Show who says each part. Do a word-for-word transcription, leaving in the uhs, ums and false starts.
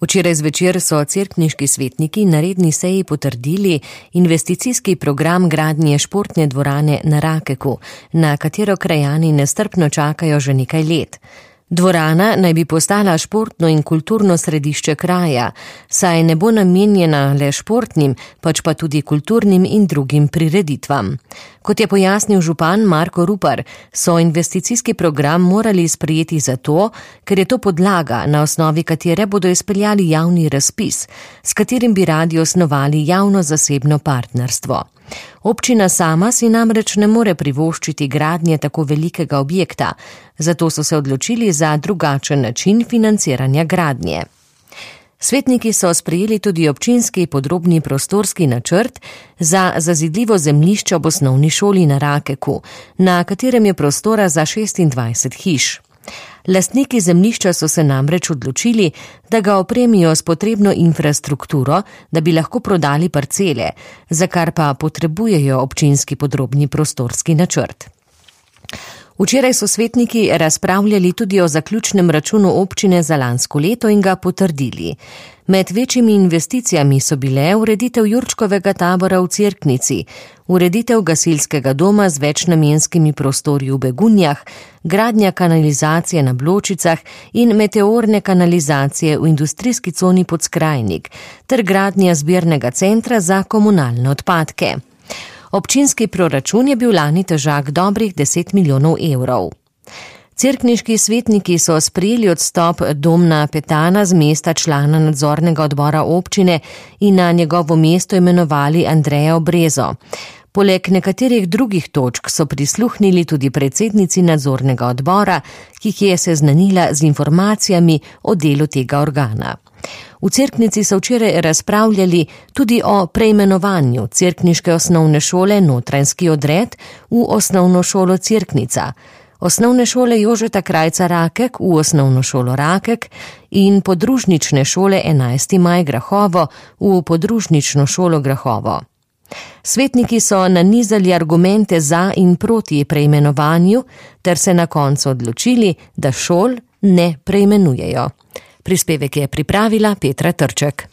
Speaker 1: Včeraj zvečer so cerkniški svetniki na redni seji potrdili investicijski program gradnje športne dvorane na Rakeku, na katero krajani nestrpno čakajo že nekaj let. Dvorana naj bi postala športno in kulturno središče kraja, saj ne bo namenjena le športnim, pač pa tudi kulturnim in drugim prireditvam. Kot je pojasnil župan Marko Rupar, so investicijski program morali sprejeti zato, ker je to podlaga, na osnovi katere bodo izpeljali javni razpis, s katerim bi radi osnovali javno-zasebno partnerstvo. Občina sama si namreč ne more privoščiti gradnje tako velikega objekta, zato so se odločili za drugačen način financiranja gradnje. Svetniki so sprejeli tudi občinski podrobni prostorski načrt za zazidljivo zemljišče ob osnovni šoli na Rakeku, na katerem je prostora za šestindvajset hiš. Lastniki zemljišča so se namreč odločili, da ga opremijo s potrebno infrastrukturo, da bi lahko prodali parcele, za kar pa potrebujejo občinski podrobni prostorski načrt. Včeraj so svetniki razpravljali tudi o zaključnem računu občine za lansko leto in ga potrdili. Med večjimi investicijami so bile ureditev Jurčkovega tabora v Cerknici, ureditev gasilskega doma z večnamenskimi prostori v Begunjah, gradnja kanalizacije na Bločicah in meteorne kanalizacije v industrijski coni Podskrajnik ter gradnja zbirnega centra za komunalne odpadke. Občinski proračun je bil lani težak dobrih deset milijonov evrov. Cerkniški svetniki so sprejeli odstop Domna Petana z mesta člana nadzornega odbora občine in na njegovo mesto imenovali Andrejo Brezo. Poleg nekaterih drugih točk so prisluhnili tudi predsednici nadzornega odbora, ki jih je seznanila z informacijami o delu tega organa. V Cerknici so včeraj razpravljali tudi o preimenovanju cerkniške osnovne šole Notranjski odred v osnovno šolo Cerknica, osnovne šole Jožeta Krajca Rakek v osnovno šolo Rakek in podružnične šole enajsti maj Grahovo v podružnično šolo Grahovo. Svetniki so nanizali argumente za in proti preimenovanju ter se na koncu odločili, da šol ne preimenujejo. Prispevek je pripravila Petra Trček.